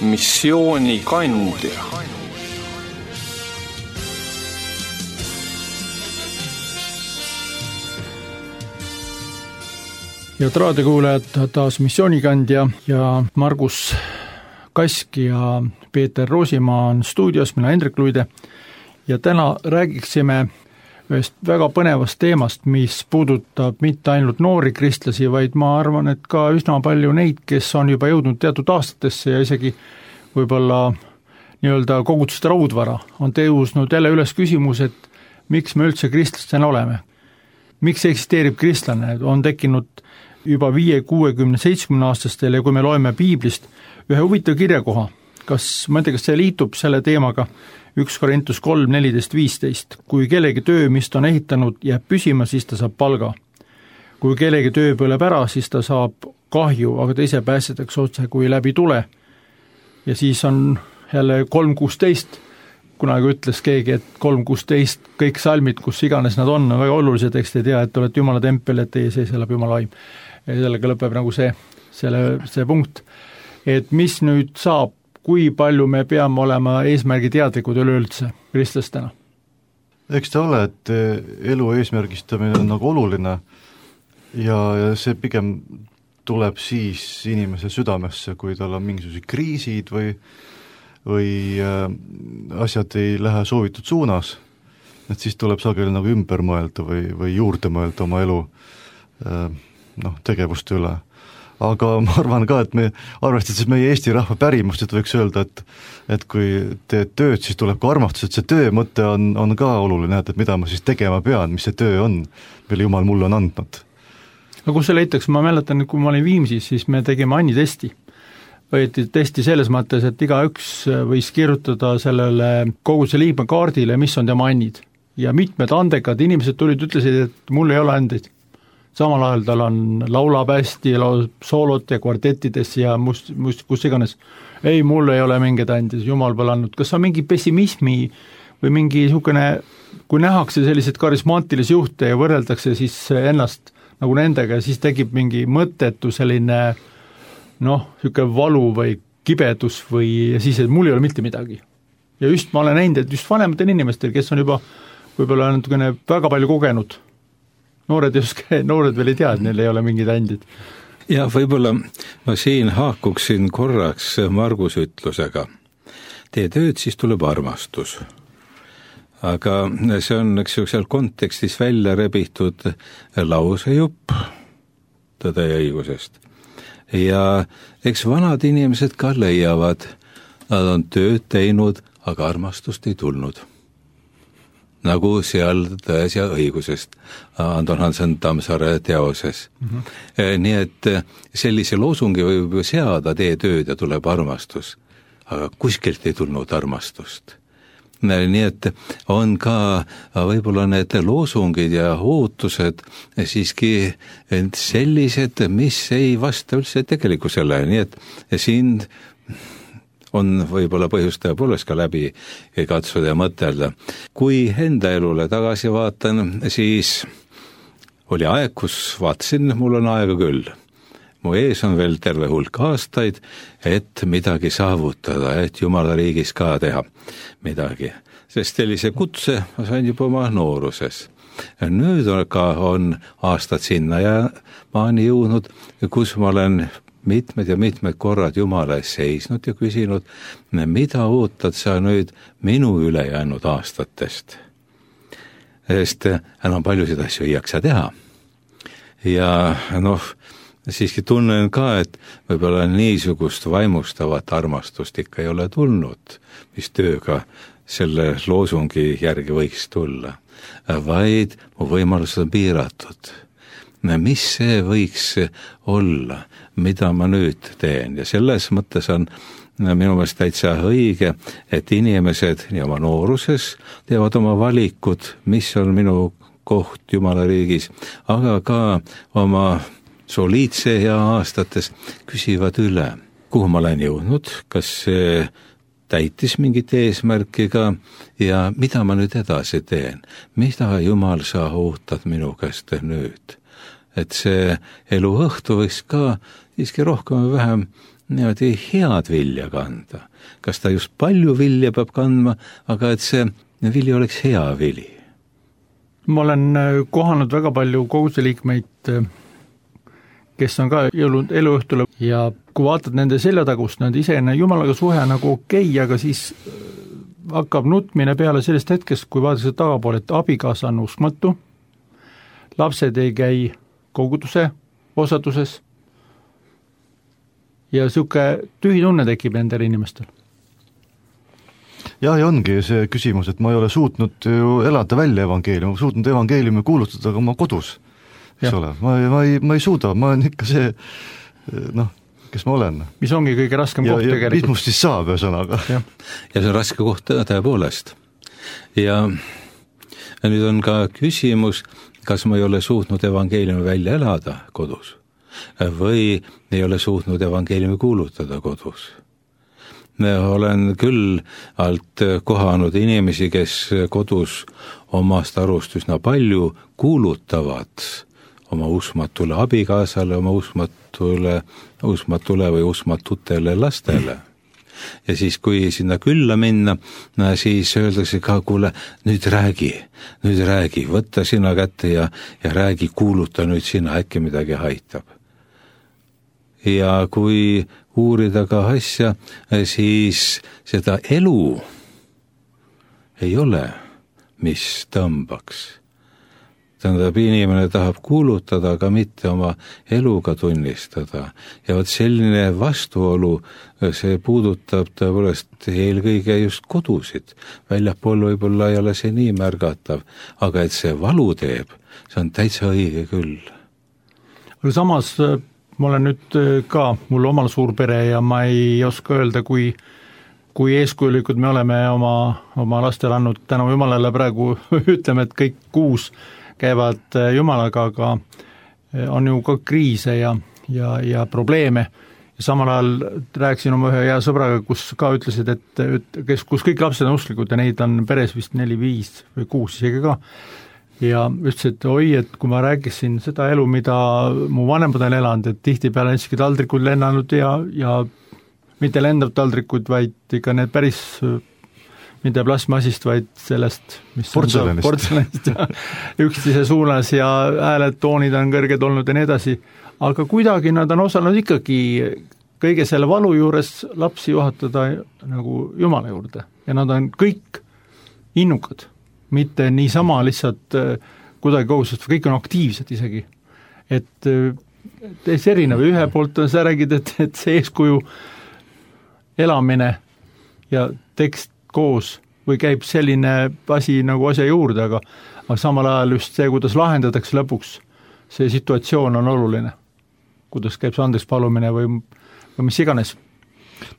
missioonikandja. Ja raadiokuulajad, taas missioonikandja ja Margus Kask ja Peeter Roosimaa on stuudios, mina Hendrik Luide ja täna räägiksime ühest väga põnevast teemast, mis puudutab mitte ainult noori kristlasi, vaid ma arvan, et ka üsna palju neid, kes on juba jõudnud teatud aastatesse ja isegi võib-olla nii-öelda koguduste raudvara, on tõusnud jälle üles küsimus, et miks me üldse kristlastena oleme. Miks eksisteerib kristlane, on tekkinud juba 5, 60, 70 aastastel ja kui me loeme piiblist ühe huvitav kirjakoha, ma ei tea, kas see liitub selle teemaga, 1 Korintus 3, 14, 15. Kui kellegi töö, mis ta on ehitanud, jääb püsima, siis ta saab palga. Kui kellegi töö põleb ära, siis ta saab kahju, aga ta ise päästetakse otse kui läbi tule. Ja siis on jälle 3.16, kunagi ütles keegi, et 3.16, kõik salmid, kus iganes nad on väga olulise teksti, tea, et olete Jumala tempel, et teie sees elab Jumala vaim. Ja sellega lõpeb nagu see punkt. Et mis nüüd saab, kui palju me peame olema eesmärgi teadlikud üleüldse kristlastena? Eks ta ole, et elu eesmärgistamine on nagu oluline ja see pigem tuleb siis inimese südamesse, kui tal on mingisugused kriisid või asjad ei lähe soovitud suunas, et siis tuleb sageli nagu ümber mõelda või juurde mõelda oma elu tegevuste üle. Aga ma arvan ka, et me arvestades meie Eesti rahva pärimust, et võiks öelda, et kui teed tööd, siis tuleb ka armastus, et see töö mõte on ka oluline, et mida ma siis tegema pean, mis see töö on, mille Jumal mulle on andnud. No kus see leitaks, ma mäletan, kui ma olin Viimsis, siis me tegime Anni testi. Võeti testi selles mõttes, et igaüks võis kirjutada sellele koguduse liikme kaardile, mis on tema annid. Ja mitmed andekad inimesed tulid, ütlesid, et mul ei ole andeid. Samal ajal tal on laulab hästi, soolot ja kvartettides ja kus iganes. Ei, mul ei ole mingeid andis, Jumal pole andnud. Kas on mingi pessimismi või mingi niisugune, kui nähakse sellised karismaatilisi juhte ja võrreldakse siis ennast nagu nendega ja siis tekib mingi mõttetu selline niisugune valu või kibedus või siis, et mul ei ole mitte midagi. Ja just ma olen näinud, et just vanematel inimestel, kes on juba võib-olla väga palju kogenud, noored veel ei tea, et neil ei ole mingid andid. Ja võib-olla ma siin haakuksin korraks Margus ütlusega. Tee tööd, siis tuleb armastus. Aga see on seal kontekstis välja rebitud lausejupp tõde ja õigusest. Ja eks vanad inimesed ka leiavad, nad on tööd teinud, aga armastust ei tulnud. Nagu seal tões ja õigusest Anton Hansen Tammsaare teoses. Nii et sellise loosungi võib seada, tee tööd ja tuleb armastus, aga kuskilt ei tulnud armastust. Nii et on ka võib-olla need loosungid ja ootused siiski sellised, mis ei vasta üldse tegelikkusele, nii et siin on võib-olla põhjust tõepoolest ka läbi katsuda ja mõtelda. Kui enda elule tagasi vaatan, siis oli aeg, kus vaatasin, mul on aega küll. Mu ees on veel terve hulk aastaid, et midagi saavutada, et Jumala riigis ka teha midagi. Sest sellise kutse ma sain juba oma nooruses. Nüüd on aastad sinna ja maani jõudnud, kus ma olen mitmed korrad Jumala ees seisnud ja küsinud, mida ootad sa nüüd minu ülejäänud aastatest? Sest enam paljusid asju ei jaksa teha. Ja siiski tunnen ka, et võib-olla niisugust vaimustavat armastust ikka ei ole tulnud, mis tööga selle loosungi järgi võiks tulla, vaid mu võimalused on piiratud. Mis see võiks olla, mida ma nüüd teen ja selles mõttes on minu meelest täitsa õige, et inimesed nii oma nooruses teevad oma valikud, mis on minu koht Jumala riigis, aga ka oma soliidse ja aastates küsivad üle, kuhu ma olen jõudnud, kas see täitis mingit eesmärkiga ja mida ma nüüd edasi teen, mida Jumal sa ootad minu käest nüüd. Et see elu õhtu võiks ka siiski rohkem või vähem niimoodi head vilja kanda. Kas ta just palju vilja peab kandma, aga et see vili oleks hea vili. Ma olen kohanud väga palju koguduse liikmeid, kes on ka jõudnud eluõhtule ja kui vaatad nende seljatagust, nad ise Jumalaga suhe nagu okei, aga siis hakkab nutmine peale sellest hetkest, kui vaadatakse tagapoole, et abikaasa on uskmatu, lapsed ei käi koguduse osaduses ja siuke tühi tunne tekib nendel inimestel. Ja ongi see küsimus, et ma ei ole suutnud ju elada välja evangeeliumi, ma suutnud evangeeliumi kuulutada ka oma kodus, eks ole. Ma ei suuda, ma olen ikka see, kes ma olen. Mis ongi kõige raskem koht tegelikult. Ja mis must siis saab, ühesõnaga. Ja see on raske koht tõepoolest. Ja nüüd on ka küsimus, kas ma ei ole suutnud evangeeliumi välja elada kodus või ei ole suutnud evangeeliumi kuulutada kodus. Olen küll alt kohanud inimesi, kes kodus omast arust üsna palju kuulutavad oma uskmatule abikaasale, oma uskmatule või uskmatutele lastele. Ja siis, kui sinna külla minna, siis öeldakse ka, kuule, nüüd räägi, võtta sina kätte ja räägi, kuuluta nüüd sina, äkki midagi haitab. Ja kui uurida ka asja, siis seda elu ei ole, mis tõmbaks. Tähendab, inimene tahab kuulutada, aga mitte oma eluga tunnistada. Ja võt selline vastuolu, see puudutab tõepoolest eelkõige just kodusid. Väljapool võib-olla ei ole see nii märgatav, aga et see valu teeb, see on täitsa õige küll. Aga samas ma olen nüüd ka, mul omal suur pere ja ma ei oska öelda, kui eeskujulikud me oleme oma lastele andnud tänu Jumalale praegu ütleme, et kõik 6 käivad Jumalaga, aga on ju ka kriise ja probleeme. Ja samal ajal rääkisin oma ühe hea sõbraga, kus ka ütlesid, et kus kõik lapsed on usklikud ja neid on peres vist 4, 5 või 6 isegi ka. Ja ütles, et et kui ma rääkisin seda elu, mida mu vanemad on elanud, et tihtipeale on isegi taldrikud lennanud ja mitte lendav taldrikud, vaid ikka need päris mitte plasmasist, vaid sellest, mis portselanist ja üksteise suunas ja hääled, toonid on kõrged olnud ja nii edasi, aga kuidagi nad on osanud ikkagi kõige selle valu juures lapsi juhatada nagu Jumala juurde ja nad on kõik innukad, mitte niisama lihtsalt kuidagi kohustused, kõik on aktiivsed isegi, et täis erinev, ühe poolt sa räägid, et see eeskuju elamine ja tekst koos või käib selline asi nagu asja juurde, aga samal ajal just see, kuidas lahendatakse lõpuks, see situatsioon on oluline. Kuidas käib see andeks palumine või mis iganes.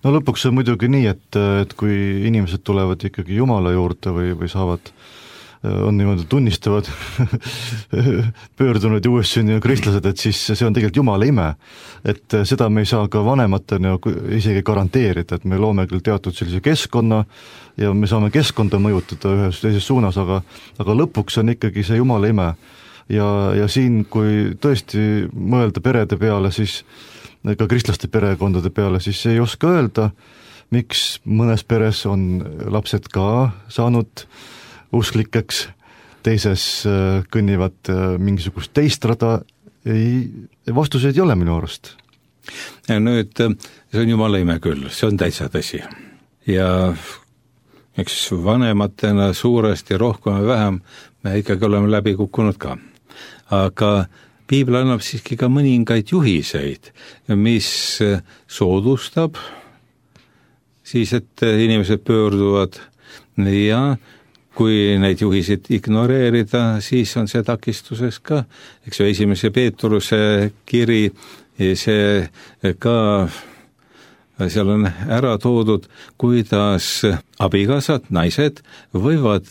No lõpuks on muidugi nii, et kui inimesed tulevad ikkagi Jumala juurde või saavad, on niimoodi tunnistavad pöördunud ja uuestsünninud kristlased, et siis see on tegelikult Jumala ime. Et seda me ei saa ka vanematena isegi garanteerida, et me loome küll teatud sellise keskkonna ja me saame keskkonda mõjutada ühes teises suunas, aga lõpuks on ikkagi see Jumala ime. Ja siin, kui tõesti mõelda perede peale, siis ka kristlaste perekondade peale, siis ei oska öelda, miks mõnes peres on lapsed ka saanud usklikeks, teises kõnnivad mingisugust teist rada, vastuseid ei ole minu arust. Ja nüüd, see on Jumala ime küll, see on täitsa tõsi. Ja eks vanematena suuresti rohkem ja vähem me ikkagi oleme läbi kukkunud ka. Aga Piibel annab siiski ka mõningaid juhiseid, mis soodustab siis, et inimesed pöörduvad ja kui neid juhiseid ignoreerida, siis on see takistuseks ka, eks ju, 1. Peetruse kiri, see ka, seal on ära toodud, kuidas abikaasad, naised võivad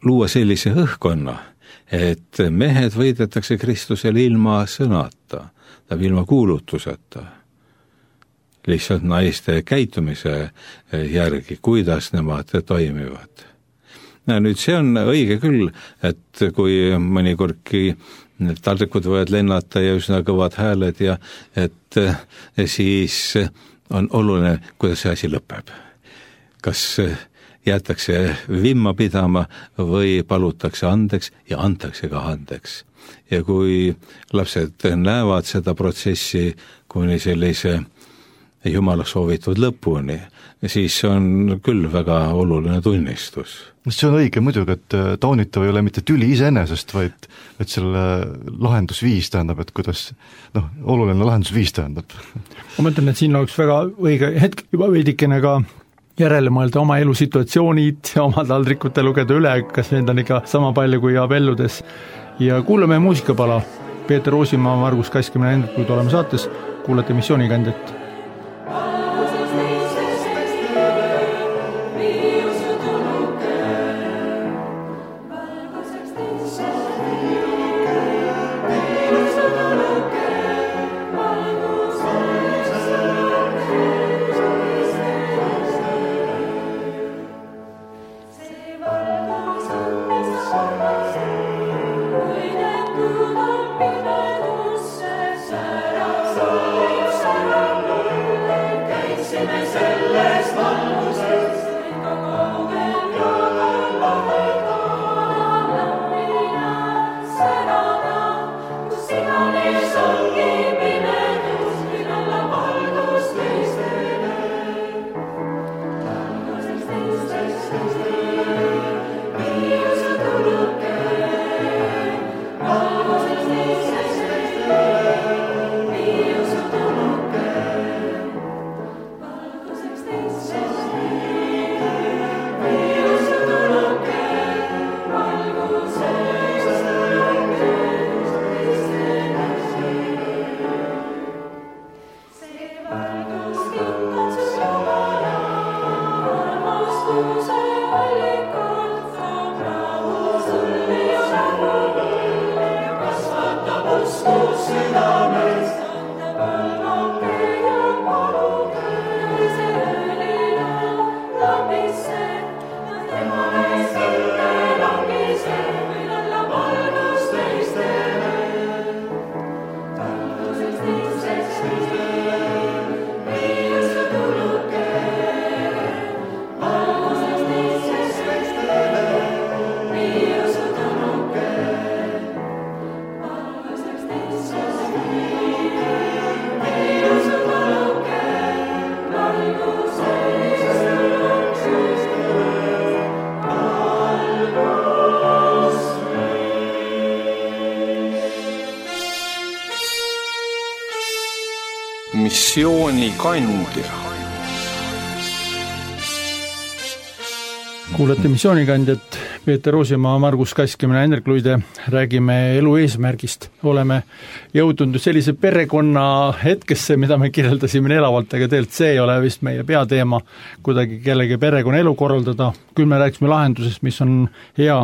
luua sellise õhkkonna, et mehed võidetakse Kristusele ilma sõnata, ilma kuulutuseta, lihtsalt naiste käitumise järgi, kuidas nemad toimivad. nüüd see on õige küll, et kui mõnikordki need taldrikud võivad lennata ja üsna kõvad hääled ja et siis on oluline, kuidas see asi lõpeb. Kas jäetakse vimma pidama või palutakse andeks ja antakse ka andeks. Ja kui lapsed näevad seda protsessi kuni sellise Jumala soovitud lõpuni, siis on küll väga oluline tunnistus. See on õige muidugi, et taunitav ei ole mitte tüli iseenesest, vaid et selle lahendusviis tähendab, et kuidas, oluline lahendusviis tähendab. Ma mõtlen, et siin oleks väga õige hetk juba veidikene ka järele mõelda oma elusituatsioonid ja oma taldrikute lugeda üle, kas need on ikka sama palju kui abelludes. Ja kuulame muusikapala. Peeter Roosimaa, Margus Kask ja mina Hendrik, kui oleme saates, kuulete Missioonikandjat. Missioonikandja. Kuulete Missioonikandjat, Peeter Roosimaa, Margus Kask ja mina Hendrik Luide, räägime elu eesmärgist. Oleme jõudnud sellise perekonna hetkesse, mida me kirjeldasime elavalt, aga tegelikult see ei ole vist meie peateema kuidagi kellegi perekonna elu korraldada. Küll me rääkisime lahendusest, mis on hea.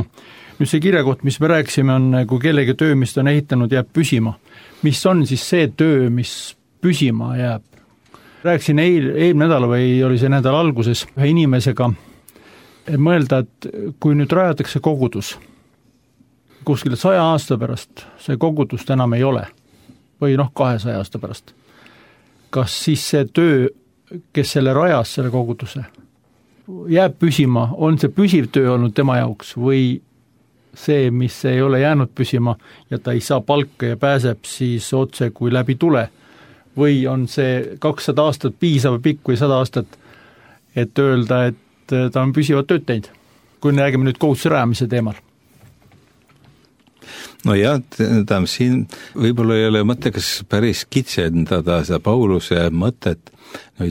Nüüd see kirjakoht, mis me rääkisime, on kui kellegi töö, mis ta on ehitanud, jääb püsima. Mis on siis see töö, mis püsima jääb? Rääkisin eelmine nädal või oli see nädal alguses ühe inimesega, et mõelda, et kui nüüd rajatakse kogudus, kuskil 100 aasta pärast see kogudust enam ei ole, või 200 aasta pärast, kas siis see töö, kes selle rajas, selle koguduse, jääb püsima, on see püsiv töö olnud tema jaoks või see, mis ei ole jäänud püsima ja ta ei saa palka ja pääseb siis otse kui läbi tule, või on see 200 aastat piisav pikk või 100 aastat, et öelda, et ta on püsivat tööd teinud, kui me räägime nüüd kohustuse rajamise teemal. No jah, siin võib-olla ei ole mõttekas päris kitsendada seda Pauluse mõtet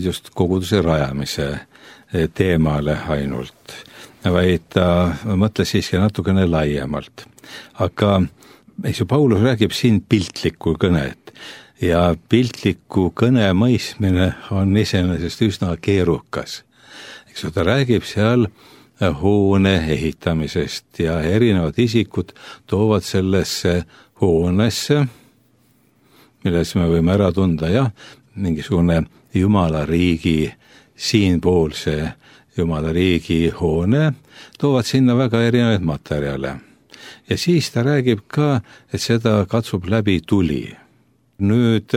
just koguduse rajamise teemale ainult, vaid ta mõtles siiski natukene laiemalt. Aga Paulus räägib siin piltlikku kõnet ja piltliku kõne mõistmine on iseenesest üsna keerukas. Ta räägib seal hoone ehitamisest ja erinevad isikud toovad sellesse hoonesse, milles me võime ära tunda mingisugune Jumala riigi siinpoolse Jumala riigi hoone, toovad sinna väga erinevaid materjale. Ja siis ta räägib ka, et seda katsub läbi tuli. Nüüd,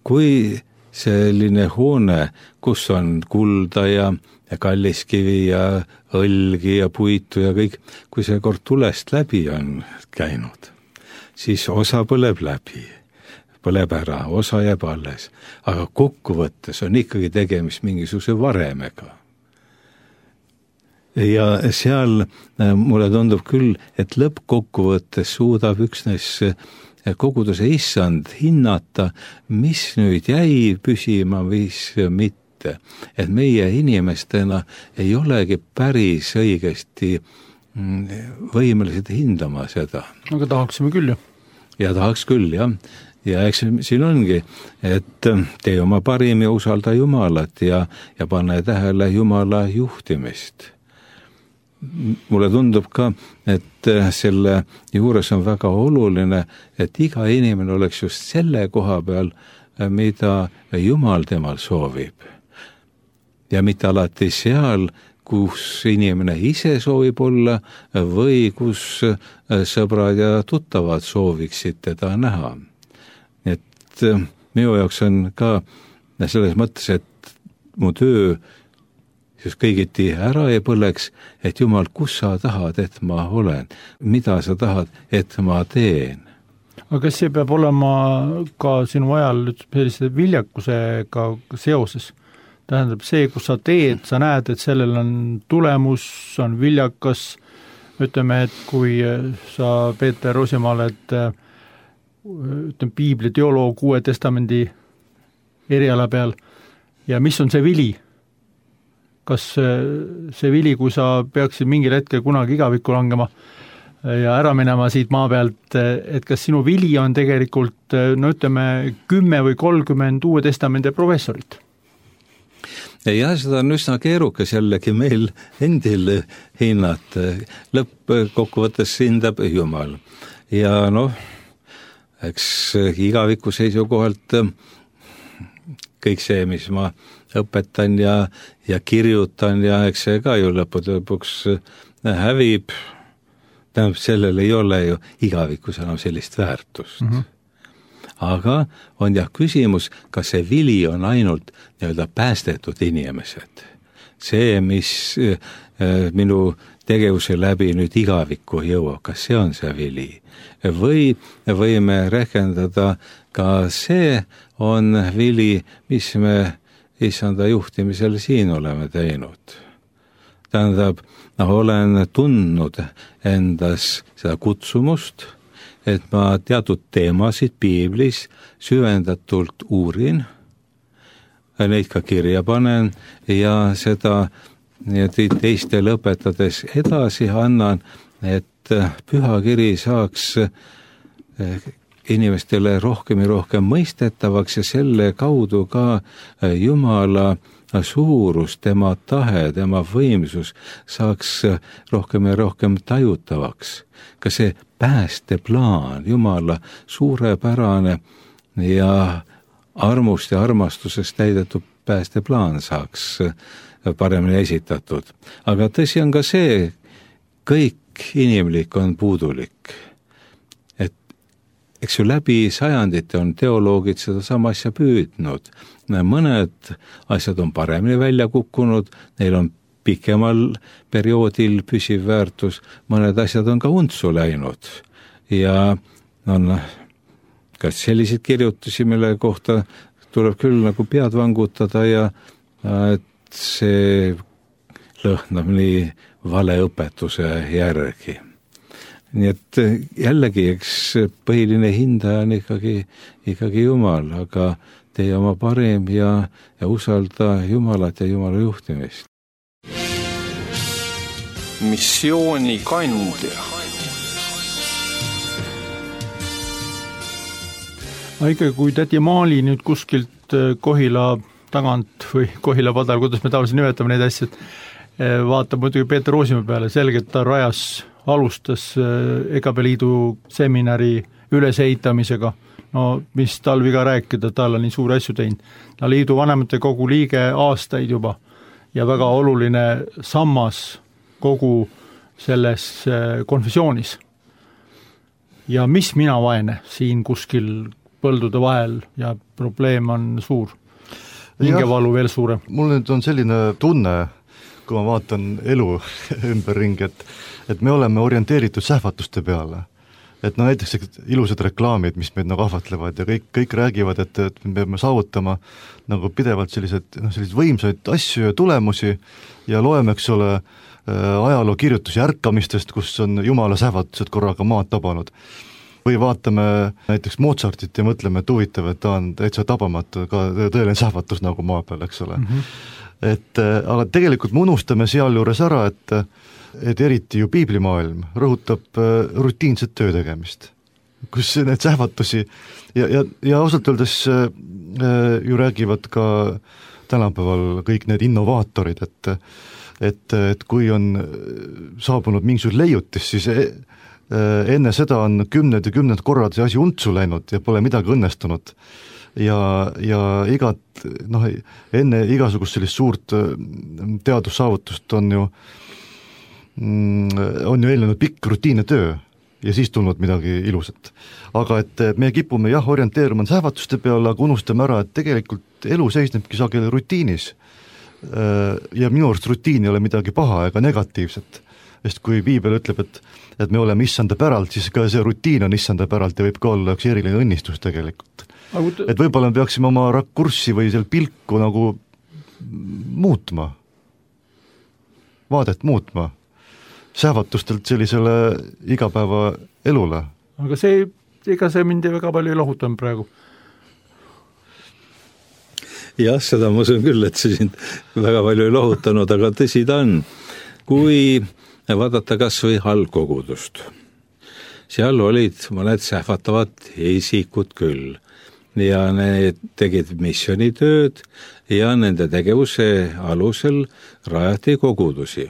kui selline hoone, kus on kulda ja kalliskivi ja õlgi ja puitu ja kõik, kui see kord tulest läbi on käinud, siis osa põleb läbi, põleb ära, osa jääb alles, aga kokkuvõttes on ikkagi tegemist mingisuguse varemega. Ja seal mulle tundub küll, et lõppkokkuvõttes suudab üksnes koguduse issand hinnata, mis nüüd jäi püsima, mis mitte. Et meie inimestena ei olegi päris õigesti võimelised hindama seda. Aga tahaksime küll, jah. Ja tahaks küll, jah. Ja eks siin ongi, et tee oma parim ja usalda Jumalat ja pane tähele Jumala juhtimist. Mulle tundub ka, et selle juures on väga oluline, et iga inimene oleks just selle koha peal, mida Jumal temal soovib. Ja mitte alati seal, kus inimene ise soovib olla või kus sõbrad ja tuttavad sooviksid teda näha. Et minu jaoks on ka selles mõttes, et mu töö just kõigiti ära ei põleks, et Jumal, kus sa tahad, et ma olen, mida sa tahad, et ma teen. Aga kas see peab olema ka sinu ajal sellise viljakusega seoses? Tähendab see, kus sa teed, sa näed, et sellel on tulemus, on viljakas, ütleme, et kui sa Peeter Roosimaal, et ütleme, piibli teoloog Uue Testamendi eriala peal ja mis on see vili? Kas see vili, kui sa peaksid mingil hetkel kunagi igavikku langema ja ära minema siit maa pealt, et kas sinu vili on tegelikult, no ütleme, 10 või 30 Uue Testamendi professorit? Ja seda on üsna keerukas jällegi meil endil hinnata. Lõppkokkuvõttes hindab Jumal. Ja noh, eks igaviku seisukohalt kõik see, mis ma õpetan ja kirjutan ja eks see ka ju lõpuks hävib. Tähendab, sellel ei ole ju igavikus enam sellist väärtust. Aga on jah küsimus, kas see vili on ainult nii-öelda päästetud inimesed. See, mis minu tegevuse läbi nüüd igavikku jõuab, kas see on see vili? Või võime rehkendada ka see on vili, mis me issanda juhtimisel siin oleme teinud. Tähendab, olen tundnud endas seda kutsumust, et ma teatud teemasid piiblis süvendatult uurin, neid ka kirja panen ja seda teistele õpetades edasi annan, et pühakiri saaks inimestele rohkem ja rohkem mõistetavaks ja selle kaudu ka Jumala suurus, tema tahe, tema võimsus saaks rohkem ja rohkem tajutavaks. Ka see päästeplaan, Jumala suurepärane ja armust ja armastusest täidetud päästeplaan saaks paremini esitatud. Aga tõsi on ka see, kõik inimlik on puudulik. Et eks ju läbi sajandite on teoloogid seda sama asja püüdnud. Mõned asjad on paremini välja kukkunud, neil on pikemal perioodil püsiv väärtus, mõned asjad on ka untsu läinud. Ja on kas selliseid kirjutusi, mille kohta tuleb küll nagu pead vangutada ja et see lõhnab nii valeõpetuse järgi. Nii et jällegi, eks põhiline hindaja on ikkagi Jumal, aga tee oma parim ja usalda Jumalat ja Jumala juhtimist. Missioonikandja. Ikka kui tädi Maali nüüd kuskilt Kohila tagant või Kohila padal, kuidas me tavaliselt nimetame neid asjad, vaatab muidugi Peeter Roosimaa peale, selgelt ta alustas EKP liidu seminari ülesehitamisega. No mis tal viga rääkida, tal on nii suuri asju teinud. Ta liidu vanemate kogu liige aastaid juba ja väga oluline sammas kogu selles konfessioonis. Ja mis mina vaene siin kuskil põldude vahel ja probleem on suur, hingevalu veel suurem. Mul nüüd on selline tunne, kui ma vaatan elu ümberringi, et me oleme orienteeritud sähvatuste peale. Et no näiteks ilusad reklaamid, mis meid nagu ahvatlevad ja kõik räägivad, et me peame saavutama nagu pidevalt sellised võimsaid asju ja tulemusi ja loeme, eks ole, ajaloo kirjutusi ärkamistest, kus on jumala sähvatused korraga maad tabanud. Või vaatame näiteks Mozartit ja mõtleme, et huvitav, et ta on täitsa tabamatu, ka tõeline sähvatus nagu maa peal, eks ole. Aga tegelikult me unustame seal juures ära, et eriti ju piiblimaailm rõhutab rutiinset töö tegemist, kus need sähvatusi ja ausalt öeldes ju räägivad ka tänapäeval kõik need innovaatorid, et kui on saabunud mingisugune leiutis, siis enne seda on kümned korrad see asi untsu läinud ja pole midagi õnnestunud. Ja enne igasugust sellist suurt teadussaavutust on ju eelnenud pikk rutiinne töö ja siis tulnud midagi ilusat. Aga et me kipume orienteeruma sähvatuste peale, aga unustame ära, et tegelikult elu seisnebki sageli rutiinis. Ja minu arust rutiin ei ole midagi paha ega negatiivset. Sest kui piibel ütleb, et me oleme issanda päralt, siis ka see rutiin on issanda päralt ja võib ka olla üks eriline õnnistus tegelikult. Et võib-olla me peaksime oma rakurssi või seal pilku nagu muutma, vaadet muutma, sähvatustelt sellisele igapäeva elule. Aga ega see mind väga palju ei lohutanud praegu. Jah, seda ma usun küll, et see sind väga palju ei lohutanud, aga tõsi ta on. Kui vaadata kas või algkogudust, seal olid mõned sähvatavad isikud küll ja need tegid missioonitööd ja nende tegevuse alusel rajati kogudusi.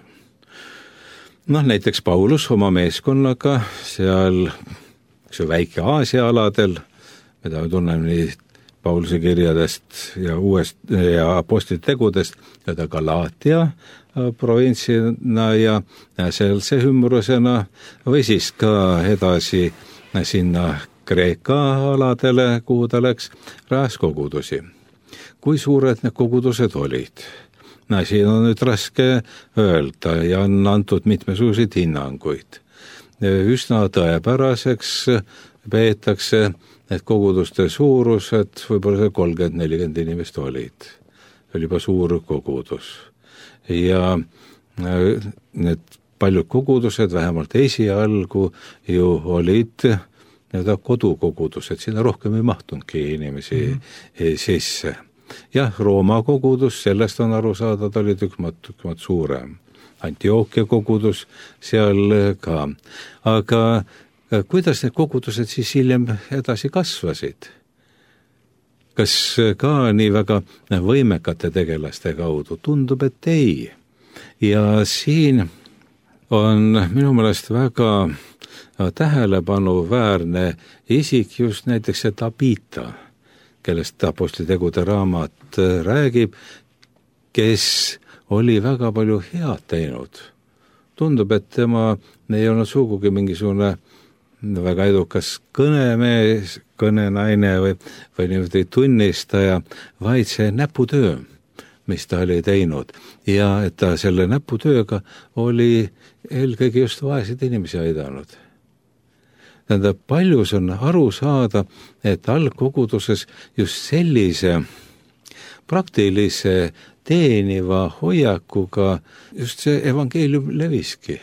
Näiteks Paulus oma meeskonnaga seal väike Aasia aladel, mida me tunneme nii Pauluse kirjadest ja apostlite tegudest, ja Galaatia provintsina ja sealse hümrusena või siis ka edasi sinna Kreeka aladele, kuhu ta läks, rajas kogudusi. Kui suured need kogudused olid? Siin on nüüd raske öelda ja on antud mitmesuguseid hinnanguid. Üsna tõepäraseks peetakse, et koguduste suurused võib-olla 30-40 inimest olid. See oli juba suur kogudus. Ja need paljud kogudused, vähemalt esialgu ju olid kodukogudused, sinna rohkem ei mahtunudki inimesi sisse. Jah, Rooma kogudus, sellest on aru saada, ta oli tükk suurem. Antioquia kogudus seal ka. Aga kuidas need kogudused siis hiljem edasi kasvasid? Kas ka nii väga võimekate tegelaste kaudu? Tundub, et ei. Ja siin on minu meelest väga tähelepanuväärne isik just näiteks see Tabita, kellest apostlitegude raamat räägib, kes oli väga palju head teinud. Tundub, et tema ei olnud sugugi mingisugune väga edukas kõnemees, kõnenaine või niimoodi tunnistaja, vaid see näputöö, mis ta oli teinud. Ja et ta selle näputööga oli eelkõige just vaesed inimesi aidanud. Tähendab, paljus on aru saada, et algkoguduses just sellise praktilise teeniva hoiakuga just see evangeelium leviski.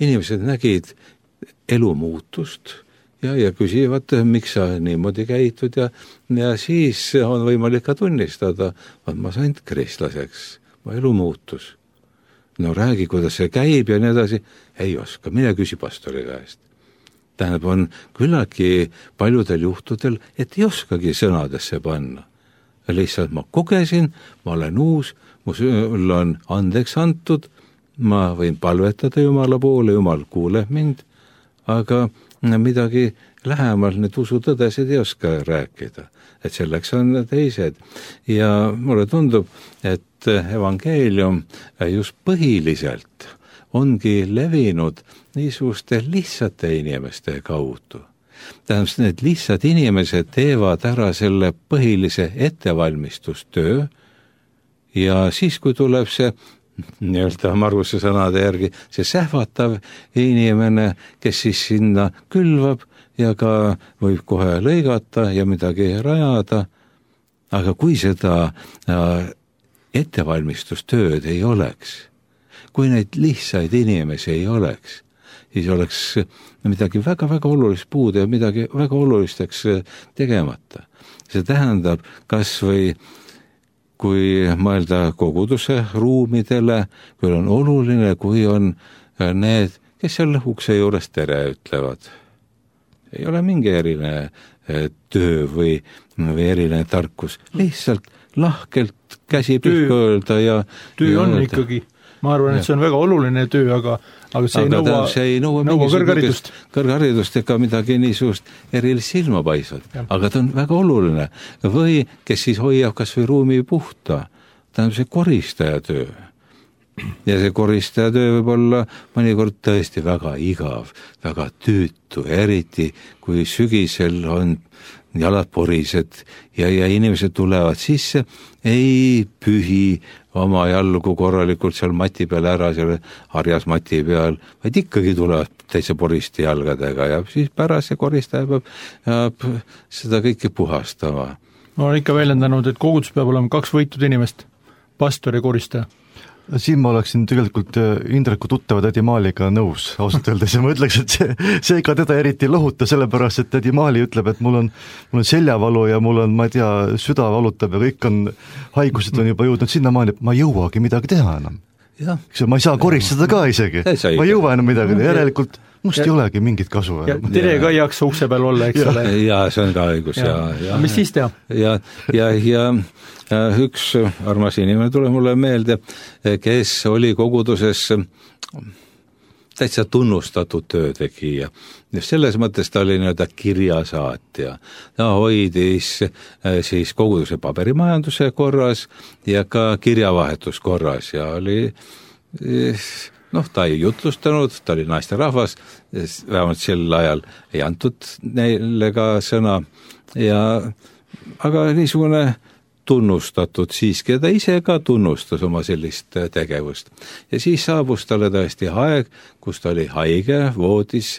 Inimesed nägid elumuutust ja küsivad, miks sa niimoodi käitud ja siis on võimalik ka tunnistada, et ma sain kristlaseks, ma elu muutus. No räägi, kuidas see käib ja nii edasi, ei oska, mine küsi pastori käest. Tähendab, on küllagi paljudel juhtudel, et ei oskagi sõnadesse panna. Lihtsalt ma kogesin, ma olen uus, mul on andeks antud, ma võin palvetada Jumala poole, Jumal kuuleb mind, aga midagi lähemal need usutõdesid ei oska rääkida, et selleks on teised. Ja mulle tundub, et evangeelium just põhiliselt ongi levinud niisuguste lihtsate inimeste kaudu. Tähendab, need lihtsad inimesed teevad ära selle põhilise ettevalmistustöö ja siis, kui tuleb see nii-öelda Marguse sõnade järgi, see sähvatav inimene, kes siis sinna külvab ja ka võib kohe lõigata ja midagi rajada, aga kui seda ettevalmistustööd ei oleks, kui neid lihtsaid inimesi ei oleks, siis oleks midagi väga-väga olulist puudu ja midagi väga olulisteks tegemata. See tähendab kas või kui mõelda koguduse ruumidele, kui on oluline, kui on need, kes seal ukse juures tere ütlevad. Ei ole mingi eriline töö või eriline tarkus, lihtsalt lahkelt käsi pihku öelda ja töö on öelda. Ikkagi, ma arvan, et see on väga oluline töö, aga see ei nõua kõrgharidust ega midagi niisugust erilist silma paisvat, aga ta on väga oluline. Või kes siis hoiab kas või ruumi puhta, ta on see koristaja töö. Ja see koristaja töö võib olla mõnikord tõesti väga igav, väga tüütu, eriti kui sügisel on jalad porised ja inimesed tulevad sisse, ei pühi oma jalgu korralikult seal mati peal ära, seal harjas mati peal, vaid ikkagi tulevad täitsa poriste jalgadega ja siis pärast see koristaja peab seda kõike puhastama. Ma olen ikka väljendanud, et kogudus peab olema 2 võitud inimest, pastor ja koristaja. Siin ma oleksin tegelikult Indreku tuttava tädi Maaliga nõus ausalt öeldes ja ma ütleks, et see ega teda eriti lohuta, sellepärast, et tädi Maali ütleb, et mul on seljavalu ja mul on, ma ei tea, süda valutab ja kõik on, haigused on juba jõudnud sinnamaani, et ma ei jõuagi midagi teha enam. Ma ei saa koristada ka isegi, ma ei jõua enam midagi teha, järelikult must ei olegi mingit kasu. Ja tere ka ei jaksa ukse peal olla, eks ole. Ja see on ka õigus. Ja mis siis teha? Ja üks armas inimene tuleb mulle meelde, kes oli koguduses täitsa tunnustatud töötegija. Selles mõttes ta oli nii-öelda kirjasaatja. Ta hoidis siis koguduse paberimajanduse korras ja ka kirjavahetus korras ja oli ta ei jutlustanud, ta oli naisterahvas, vähemalt sel ajal ei antud neile ka sõna, aga niisugune tunnustatud siiski ja ta ise ka tunnustas oma sellist tegevust. Ja siis saabus talle tõesti aeg, kus ta oli haige, voodis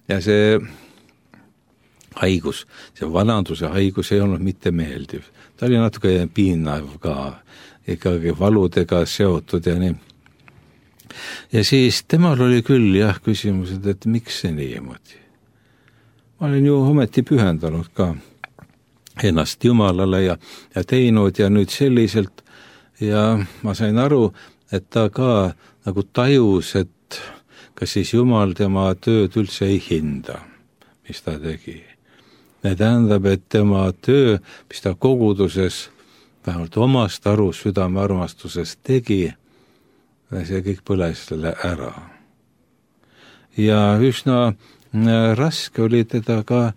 ja see haigus, see vananduse haigus ei olnud mitte meeldiv. Ta oli natuke piinav ka, ikkagi valudega seotud ja nii. Ja siis temal oli küll küsimused, et miks see niimoodi. Ma olin ju ometi pühendanud ka ennast Jumalale ja teinud ja nüüd selliselt ja ma sain aru, et ta ka nagu tajus, et kas siis Jumal tema tööd üldse ei hinda, mis ta tegi. See tähendab, et tema töö, mis ta koguduses vähemalt omast aru südame armastuses tegi, see kõik põles ära. Ja üsna raske oli teda ka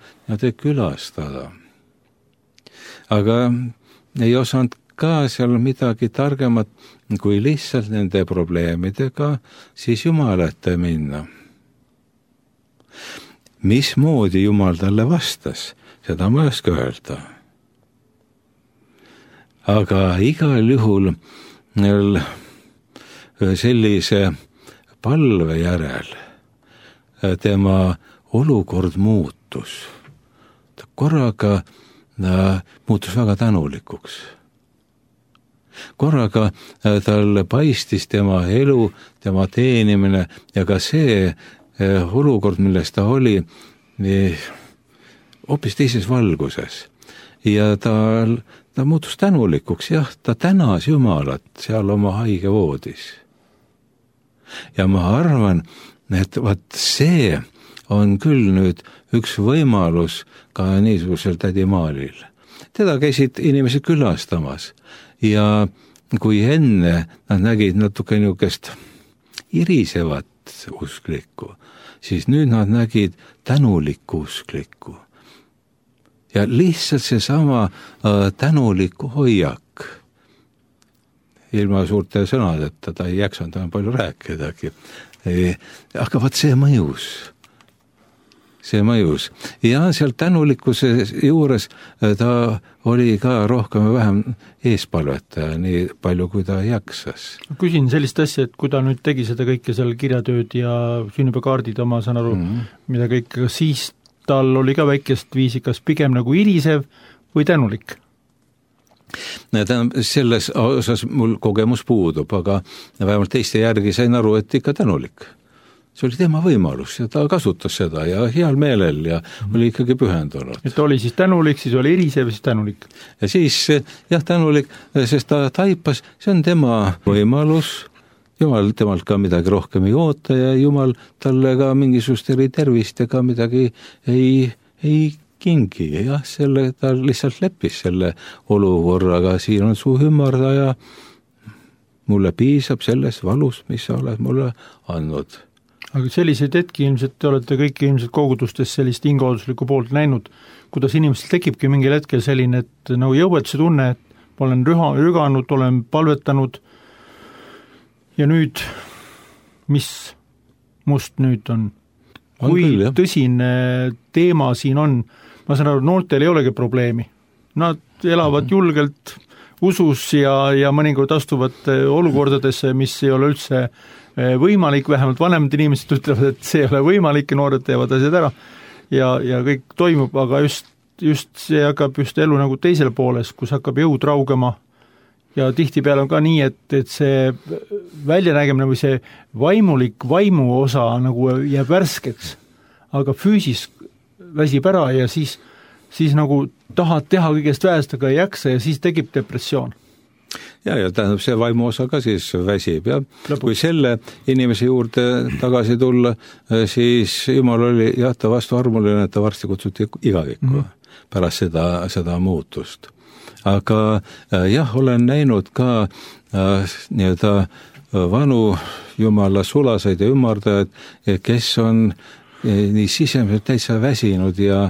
külastada. Aga ei osanud ka seal midagi targemat, kui lihtsalt nende probleemidega siis Jumala ette minna. Mismoodi Jumal talle vastas, seda ma ei oska öelda. Aga igal juhul sellise palve järel tema olukord muutus. Ta korraga muutus väga tänulikuks. Korraga tal paistis tema elu, tema teenimine ja ka see olukord, milles ta oli, hoopis teises valguses. Ja ta muutus tänulikuks, ta tänas Jumalat seal oma haige voodis. Ja ma arvan, et see on küll nüüd üks võimalus ka niisugusel tädi Maalil. Teda käisid inimesed külastamas ja kui enne nad nägid natuke niisugust irisevat usklikku, siis nüüd nad nägid tänulikku usklikku. Ja lihtsalt seesama tänulikku hoiak, ilma suurte sõnadeta, ta ei jaksanud enam palju rääkidagi, aga vaat see mõjus. Ja seal tänulikkuse juures ta oli ka rohkem või vähem eespalvetaja, nii palju kui ta jaksas. Küsin sellist asja, et kui ta nüüd tegi seda kõike seal kirjatööd ja sünnipäevakaardid oma, saan aru, mida kõike, siis tal oli ka väikest viisi, kas pigem nagu irisev või tänulik? Selles osas mul kogemus puudub, aga vähemalt teiste järgi sain aru, et ikka tänulik. See oli tema võimalus ja ta kasutas seda ja heal meelel ja oli ikkagi pühendunud. Et ta oli siis tänulik, siis oli irisev, siis tänulik. Ja siis jah, tänulik, sest ta taipas, see on tema võimalus, Jumal temalt ka midagi rohkem ei oota ja Jumal talle ka mingisugust tervist ja ka midagi ei kingi. Jah, ta lihtsalt leppis selle olukorraga, siin on su ümardaja, mulle piisab sellest valust, mis sa oled mulle andnud. Aga selliseid hetki ilmselt te olete kõik ilmselt kogudustes sellist hingehoiduslikku poolt näinud, kuidas inimestel tekibki mingil hetkel selline, et nagu jõuetuse tunne, et ma olen rüganud, olen palvetanud ja nüüd, mis must nüüd on? Kui tõsine teema siin on, ma saan aru, noortel ei olegi probleemi. Nad elavad julgelt usus ja mõnikord astuvad olukordadesse, mis ei ole üldse võimalik, vähemalt vanemad inimesed ütlevad, et see ei ole võimalik ja noored teevad asjad ära ja kõik toimub, aga just see hakkab just elu nagu teisel pooles, kus hakkab jõud raugema ja tihtipeale on ka nii, et see väljanägemine või see vaimu osa nagu jääb värskeks, aga füüsis väsib ära ja siis nagu tahad teha kõigest väest, aga ei jaksa ja siis tekib depressioon. Ja tähendab, see vaimu osa ka siis väsib ja kui selle inimese juurde tagasi tulla, siis Jumal oli ta vastu armuline, et ta varsti kutsuti igavikku pärast seda muutust. Aga jah, olen näinud ka nii-öelda vanu Jumala sulaseid ja ümardajaid, kes on nii sisemiselt täitsa väsinud ja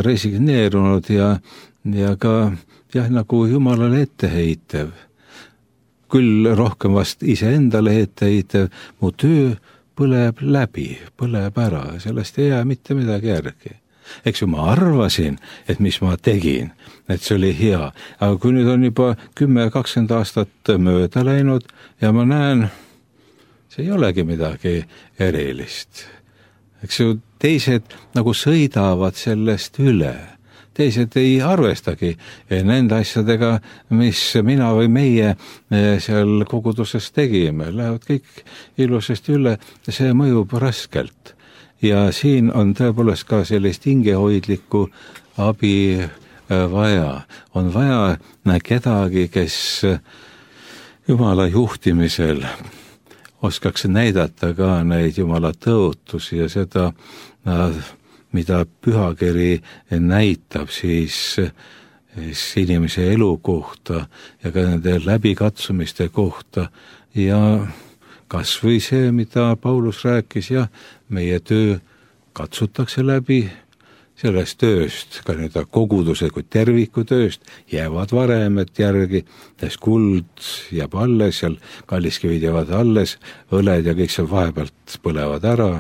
resigneerunud ja ka nagu Jumalale etteheitev. Küll rohkem vast iseendale etteheitev, mu töö põleb läbi, põleb ära, sellest ei jää mitte midagi järgi. Eks ju, ma arvasin, et mis ma tegin, et see oli hea, aga kui nüüd on juba 10-20 aastat mööda läinud ja ma näen, see ei olegi midagi erilist. Eks ju, teised nagu sõidavad sellest üle. Teised ei arvestagi nende asjadega, mis mina või meie seal koguduses tegime. Lähevad kõik ilusasti üle, see mõjub raskelt. Ja siin on tõepoolest ka sellist hingehoidlikku abi vaja. On vaja kedagi, kes Jumala juhtimisel oskaks näidata ka neid Jumala tõotusi ja seda mida pühakiri näitab siis inimese elu kohta ja ka nende läbikatsumiste kohta ja kas või see, mida Paulus rääkis, meie töö katsutakse läbi, sellest tööst, ka nii-öelda koguduse kui terviku tööst, jäävad varemed järgi, sest kuld jääb alles, seal kalliskivid jäävad alles, õled ja kõik seal vahepealt põlevad ära,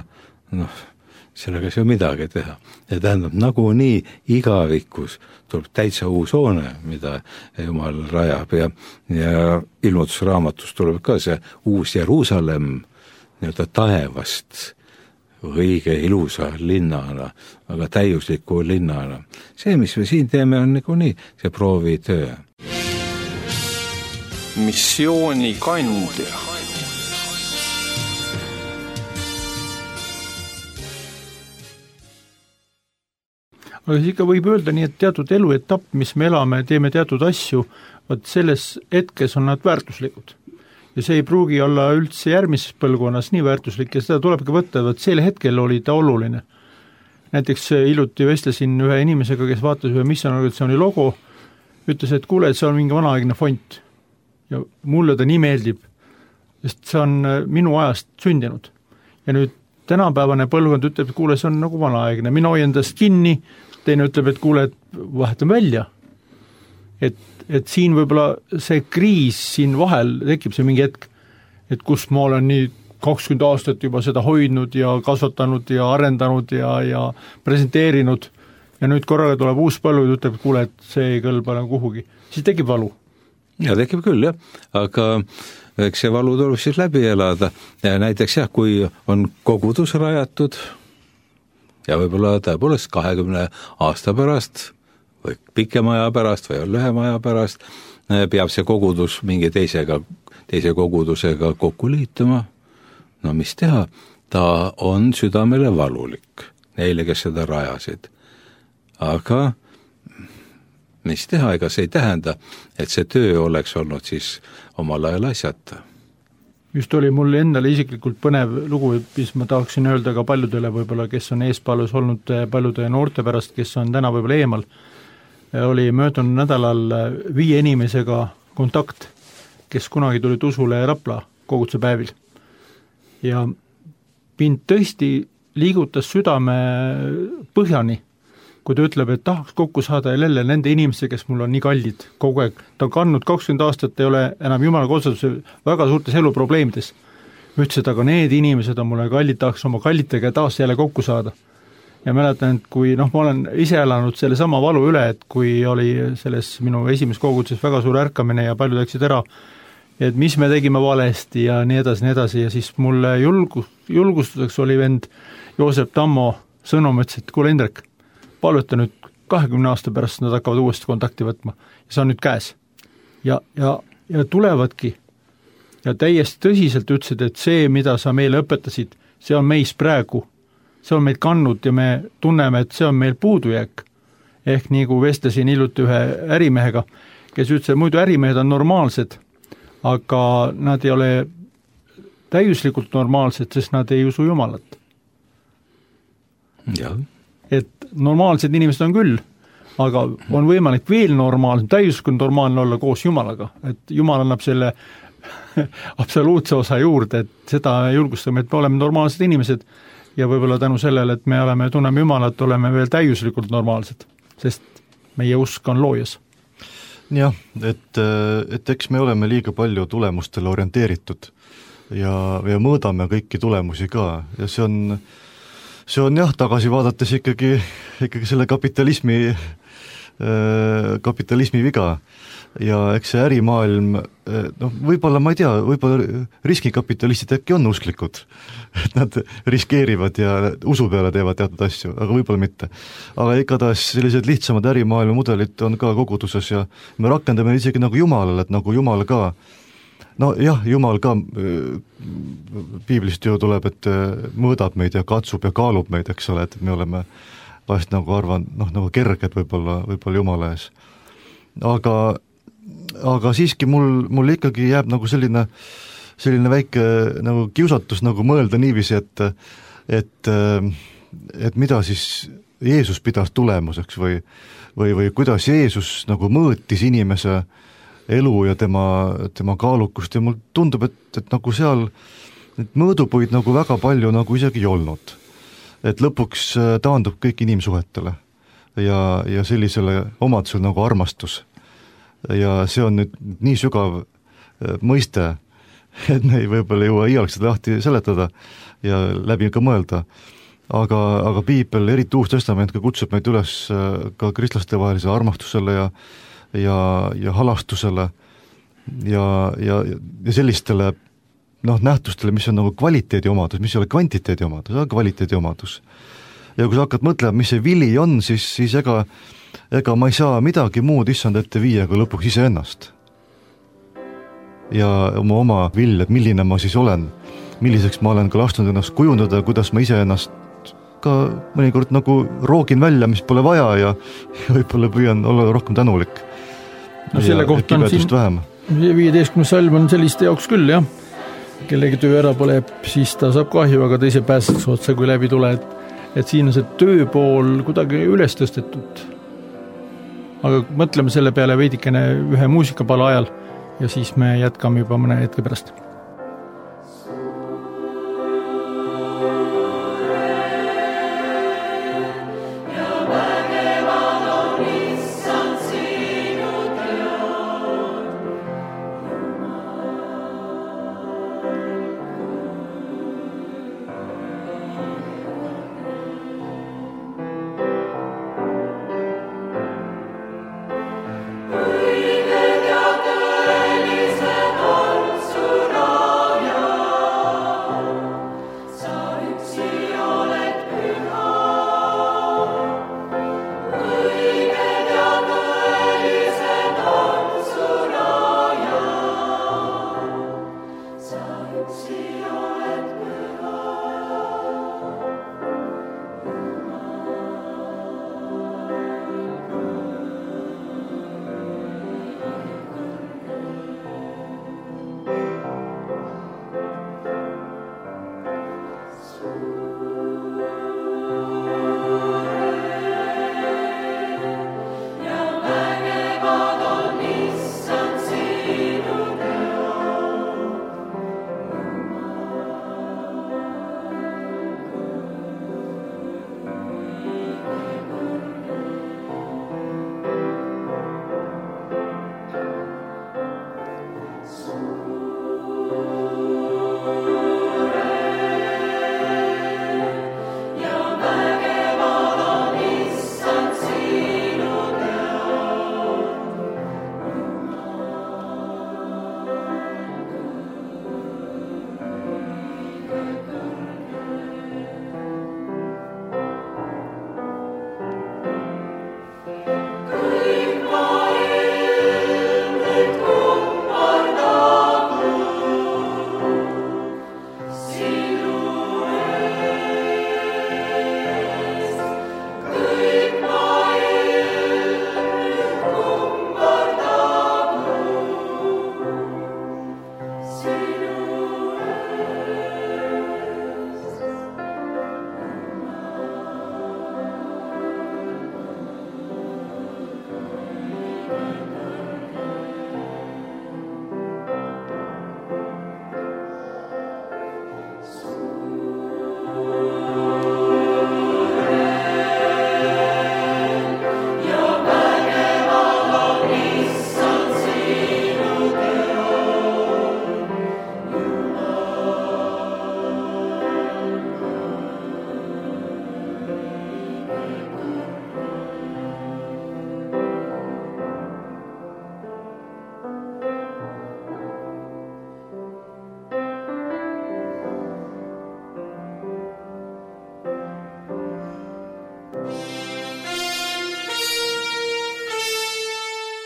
sellega ei saa midagi teha. Ja tähendab, nagunii igavikus tuleb täitsa uus hoone, mida Jumal rajab ja ilmutusraamatus tuleb ka see uus Jeruusalemm nii-öelda taevast õige ilusa linnana, aga täiusliku linnana. See, mis me siin teeme, on nagunii see proovitöö. Missioonikandja. Aga siis ikka võib öelda nii, et teatud eluetapp, mis me elame, teeme teatud asju, vaat selles hetkes on nad väärtuslikud. Ja see ei pruugi olla üldse järgmises põlvkonnas nii väärtuslik ja seda tulebki võtta, vaat sel hetkel oli ta oluline. Näiteks hiljuti vestlesin ühe inimesega, kes vaatas ühe missioonarganisatsiooni logo, ütles, et kuule, et see on mingi vanaaegne font. Ja mulle ta nii meeldib, sest see on minu ajast sündinud. ja nüüd tänapäevane põlvkond ütleb, et kuule, see on nagu vanaaegne, mina hoian endast kinni, teine ütleb, et kuule, et vahetan välja. Et siin võib-olla see kriis siin vahel tekib see mingi hetk, et kus ma olen nii 20 aastat juba seda hoidnud ja kasvatanud ja arendanud ja presenteerinud ja nüüd korraga tuleb uus põlvkond, ütleb, et kuule, et see ei kõlba nagu kuhugi. Siis tekib valu. Ja tekib küll, jah, aga eks see valu tuleb siis läbi elada ja näiteks jah, kui on kogudus rajatud ja võib-olla tõepoolest 20 aasta pärast või pikema aja pärast või lühema aja pärast peab see kogudus mingi teise kogudusega kokku liituma, no mis teha, ta on südamele valulik neile, kes seda rajasid. Aga mis teha, ega see ei tähenda, et see töö oleks olnud siis omal ajal asjata. Just oli mul endale isiklikult põnev lugu, mis ma tahaksin öelda ka paljudele võib-olla, kes on eespalus olnud paljude noorte pärast, kes on täna võib-olla eemal. Oli möödunud nädalal 5 inimesega kontakt, kes kunagi tulid usule Rapla koguduse päevil. Ja mind tõesti liigutas südame põhjani, kui ta ütleb, et tahaks kokku saada jälle nende inimeste, kes mul on nii kallid kogu aeg. Ta on kandnud 20 aastat, ei ole enam jumala konsultuse väga suurtes eluprobleemides. Ütlesid, aga need inimesed on mulle kallid, tahaks oma kallitega taas jälle kokku saada. Ja mäletan, et kui ma olen ise elanud selle sama valu üle, et kui oli selles minu esimeses koguduses väga suur ärkamine ja paljud läksid ära, et mis me tegime valesti ja nii edasi ja siis mulle julgustuseks oli vend Joosep Tammo sõnum, ütles, et kuule Indrek, palveta nüüd 20 aasta pärast nad hakkavad uuesti kontakti võtma ja see on nüüd käes. Ja tulevadki ja täiesti tõsiselt ütlesid, et see, mida sa meile õpetasid, see on meis praegu, see on meid kannud ja me tunneme, et see on meil puudujääk. Ehk nii kui vestlesin hiljuti ühe ärimehega, kes ütles, et muidu ärimehed on normaalsed, aga nad ei ole täiuslikult normaalsed, sest nad ei usu Jumalat. Jah. Et normaalsed inimesed on küll, aga on võimalik veel normaalsem, täiuslikult normaalne olla koos Jumalaga, et Jumal annab selle absoluutse osa juurde, et seda julgustame, et me oleme normaalsed inimesed ja võib-olla tänu sellele, et me tunneme Jumalat, oleme veel täiuslikult normaalsed, sest meie usk on loojas. Jah, et eks me oleme liiga palju tulemustele orienteeritud ja mõõdame kõiki tulemusi ka ja see on jah, tagasi vaadates ikkagi selle kapitalismi viga ja eks see ärimaailm, võib-olla ma ei tea, võib-olla riskikapitalistid äkki on usklikud, et nad riskeerivad ja usu peale teevad teatud asju, aga võib-olla mitte. Aga igatahes sellised lihtsamad ärimaailma mudelid on ka koguduses ja me rakendame isegi nagu Jumalale, et nagu Jumal ka Jumal ka piiblist ju tuleb, et mõõdab meid ja katsub ja kaalub meid, eks ole, et me oleme vahest nagu arvan, nagu kerged võib-olla Jumala ees. Aga siiski mul ikkagi jääb nagu selline väike nagu kiusatus nagu mõelda niiviisi, et mida siis Jeesus pidas tulemuseks või kuidas Jeesus nagu mõõtis inimese elu ja tema kaalukust ja mul tundub, et nagu seal et mõõdupuid nagu väga palju nagu isegi ei olnud. Et lõpuks taandub kõik inimsuhetele ja sellisele omadusele nagu armastus. Ja see on nüüd nii sügav mõiste, et me ei võib-olla jõua iialgi seda lahti seletada ja läbi ka mõelda. Aga piibel, eriti Uus Testament, ka kutsub meid üles ka kristlaste vahelise armastusele ja halastusele ja sellistele nähtustele, mis on nagu kvaliteedi omadus, mis ei ole kvantiteedi omadus, aga kvaliteedi omadus. Ja kui sa hakkad mõtlema, mis see vili on, siis ega ma ei saa midagi muud issand ette viia, kui lõpuks iseennast. Ja oma vilja, et milline ma siis olen, milliseks ma olen ka lasknud ennast kujundada, kuidas ma iseennast ka mõnikord nagu roogin välja, mis pole vaja ja võib-olla püüan olla rohkem tänulik. No selle kohta on siin vähem. 15. salm on selliste jaoks küll, jah. Kellegi töö ära põleb, siis ta saab kahju, aga teise pääseks otsa, kui läbi tule, et siin on see tööpool kuidagi üles tõstetud. Aga mõtleme selle peale veidikene ühe muusikapala ajal ja siis me jätkame juba mõne hetke pärast.